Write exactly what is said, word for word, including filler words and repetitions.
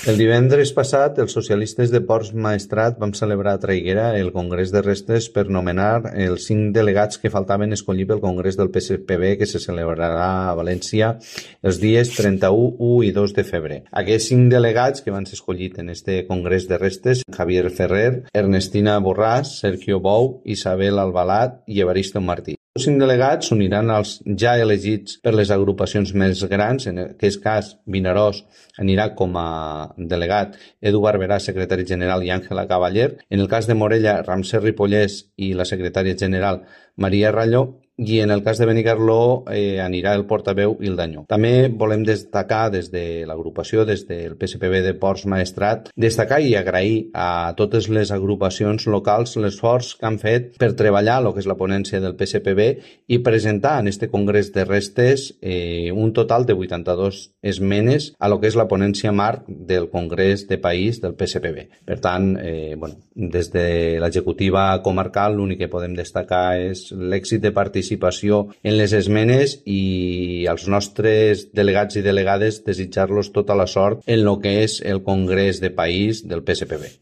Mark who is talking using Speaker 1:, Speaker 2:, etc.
Speaker 1: El divendres passat, els socialistes de Ports Maestrat vam celebrar a Traiguera el Congrés de Restes per nomenar els cinc delegats que faltaven escollir pel Congrés del P S P B que se celebrarà a València els dies trenta-u, u i dos de febrer. Aquests cinc delegats que van ser escollits en este Congrés de Restes, Javier Ferrer, Ernestina Borràs, Sergio Bou, Isabel Albalat i Evaristo Martí. Els cinc delegats s'uniran als ja elegits per les agrupacions més grans. En aquest cas, Vinaròs anirà com a delegat Edu Barberà, secretari general, i Àngela Cavaller. En el cas de Morella, Ramsès Ripollès i la secretària general Maria Ralló. I en el cas de Benicarló eh, anirà el portaveu Ildanyó. També volem destacar des de l'agrupació, des del P S P B de Ports Maestrat, destacar i agrair a totes les agrupacions locals l'esforç que han fet per treballar el que és la ponència del P S P B i presentar en este Congrés de Restes eh, un total de vuitanta-dos esmenes a lo que és la ponència marc del Congrés de País del P S P B. Per tant, eh, bueno, des de l'executiva comarcal l'únic que podem destacar és l'èxit de participació participació en les esmenes i als nostres delegats i delegades desitjar-los tota la sort en el que és el Congrés de País del P S P B.